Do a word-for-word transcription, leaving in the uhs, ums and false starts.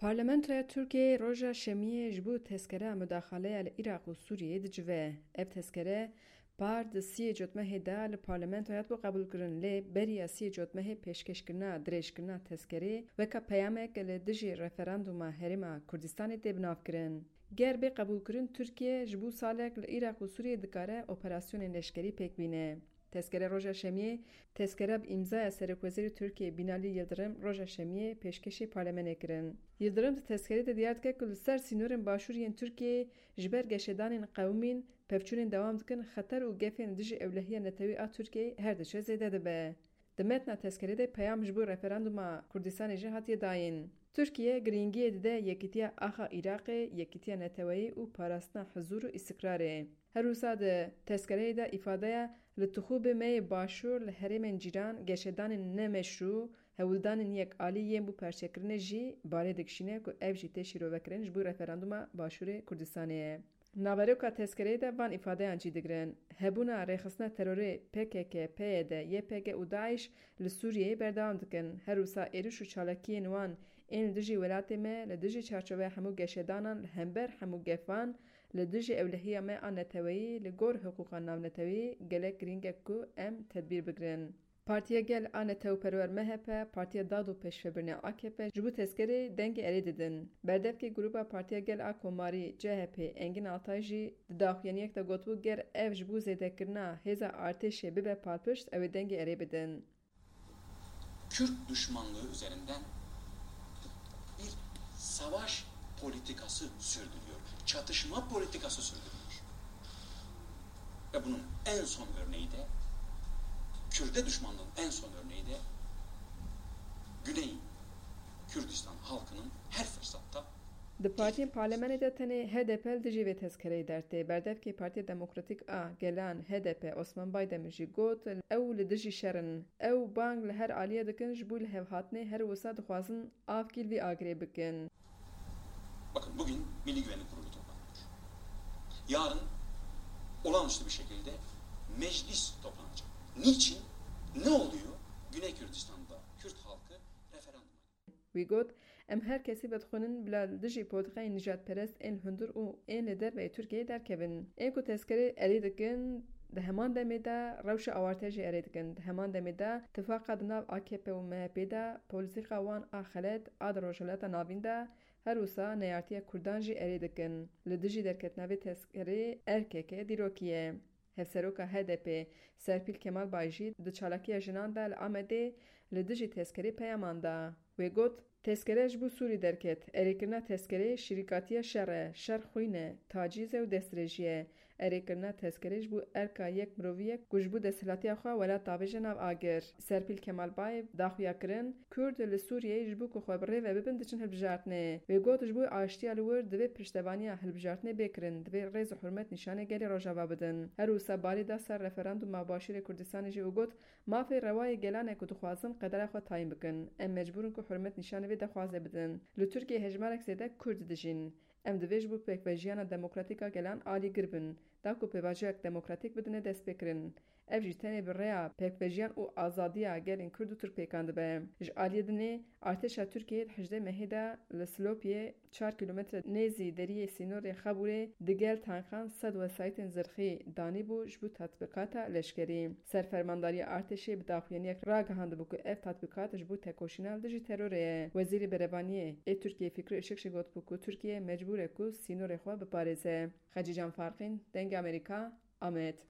Parlamentoya Tirkiyeyê roja Şemiyê ji bo tezkera mudaxaleya li Iraq û Sûriyeyê dicive. Ev tezkere par di siyê cotmehê de li parlamentoya hatibû qebûlkirin, lê beriya siyê cotmehê pêşkêşkirina dirêjkirina tezkerê weka peyamek li dijî referanduma Herêma Kurdistanê tê binavkirin. Ger bê qebûlkirin, Tirkiye ji bo salek li Iraq û Sûriyeyê dikare operasyonên leşkerî pêk bîne. Tezkere roja Şemiyê, tezkere bi îmzaya Serokwezîrê Tirkiyê Binalî Yildirim roja Şemiyê pêşkêşê parlemenê kirin. Yildirim di tezkerê de diyar dike ku li ser sînorên başûr yên Tirkiyeyê ji ber geşedanên qewimîn pevçûnên dewam dikin, xeter û gefên dijî ewlehiya netewî a Tirkiyeyê her diçe zêde dibe. Di metna tezkerê de peyam ji bo referanduma Kurdistanê jî hatiye dayîn. Tirkiye girîngiyê dide yekîtiya axa Iraqê, yekîtiya neteweyî û parastina huzûr û îstiqrarê. Her wisa di tezkereyê de îfade ye, li tixûbê me yê başûr li herêmên cîran geşedanên ne meşrû, hewldanên yek alî yên bo perçekirinê jî balê dikişîne ku ev jî tê şîrovekirin ji bo referanduma Başûrê Kurdistanê ye. Naveroka tezkereyê de van îfadeyan cî digirin. Hebûna rêxistina terorê P K K, P Y D, Y P G û DAIŞ li Sûriyeyê berdewam dikin. Her wisa êrîş û çalakiyên wan ên li dijî welatê me, li dijî çarçoveya hemû geşedanan, li hember hemû gefan, li dijî ewlehiya me a neteweyî, li gor hiqûqa navnetewî gelek girîng e ku em tedbîr bigirin. Partiya Gel a netewperwer M H P, Partiya Dad û Pêşvebirinê A K P ji bo tezkerê dengê erê didin. Berdevkê Grûpa Partiya Gel a Komarî, C H P, Engin Altay jî di daxuyaniyek de gotibû, ger ev ji bo zêdekirina hêza artêşê bibe palpişt, ew ê dengê erê bidin. Kürt düşmanlığı üzerinden bir savaş politikası sürdürüyor. Çatışma politikası sürdürüyor. Ve bunun en son örneği de, Kürde düşmanlığın en son örneği de Güney Kürdistan halkının her fırsatta Di partiyên parlemenê de tenê H D P li dijî vê tezkereyê dertê. Berdevkê Partiya Demokratîk a Gelan, H D P, Osman Baydemir jî got, ew li dijî şer in. Ew bang li her aliyê dikin ji bo lihevhatinê, her wisa dixwazin avkî li vî agirê bikin. Bakın, bugün Milli Güvenlik Kurulu toplanıyor. Yarın olağanüstü bir şekilde meclis toplanacak. Niçin? Ne oluyor? Güney Kürdistan'da Kürt halkı referanduma gidiyor. Wî got, em her kesî vedixwînin bila li dijî politiqayên nijadperest ên li hundir û ên li derveyê Tirkiyeyê derkevin. Ên ku tezkerê erê dikin, di heman demê de rewşa awarte jî erê dikin. Di heman demê de tifaqa di nav A K P û M H P de, polîtîka wan a xelet a di Rojhilata Navîn de, her wisa neyartiya Kurdan jî erê dikin. Li dijî derketina vê tezkerê erkeke dîrokî ye. Hevseroka H D P Serpîl Kemalbay jî di çalakiya jinan de li Amedê li dijî tezkerê peyaman da. Wê got, tezkere ji bo Sûrî derket. Erêkirina tezkerê şirîkatiya şer e, şer xwîn e, tacîz e û destdirêjî ye. Erêkirina tezkerê ji bo erka yek mirovî ye ku ji bo desthilatiya xwe welat davêje nav agir. Serpîl Kemalbay daxuya kirin, Kurd li Sûriyeyê ji bo ku xwe bi rê ve bibin diçin hilbijartinê. Wê got, ji bo aştiya li wir divê piştevaniya hilbijartinê bê kirin, divê rêz û hurmet nîşanê gelê Rojava bidin. Her wisa balê da ser referanduma Başûrê Kurdistanê jî û got, mafê rewa yê gelan e ku dixwazin qedera xwe tayîn bikin. Em mecbûr in ku hurmet nîşanê vê dexwazê bidin. Li Tirkiyeyê hejmarek zêde Kurd dijîn. Em divê ji bo pêkvejiyana demokratîk a gelan alîgir bin, da ku pêvajoyek demokratîk bidine destpêkirin. Ev jî tenê bi rêya pêkvejiyan û azadiya gelên Kurd û Tirk pêkan dibe. Ji aliyê dinê, artêşa Tirkiyeyê di hejdeh mehê de li Silopiyê, çar kîlometre nêzî deriyê sînorê Xabûrê, digel tankan sed wesayîtên zirxî danîbû ji bo tatbîqata leşkerî. Serfermandariya artêşê bi daxuyaniyek ragihandibû ku ev tatbîqat ji bo tekoşîna li dijî terorê ye. Wezîrê Berevaniyê ê Tirkiyeyê Fikrî Işık jî gotibû ku Tirkiye mecbûr e ku sînorê xwe biparêze. Xecîcan Farqîn, Dengê Amerîka, Amed.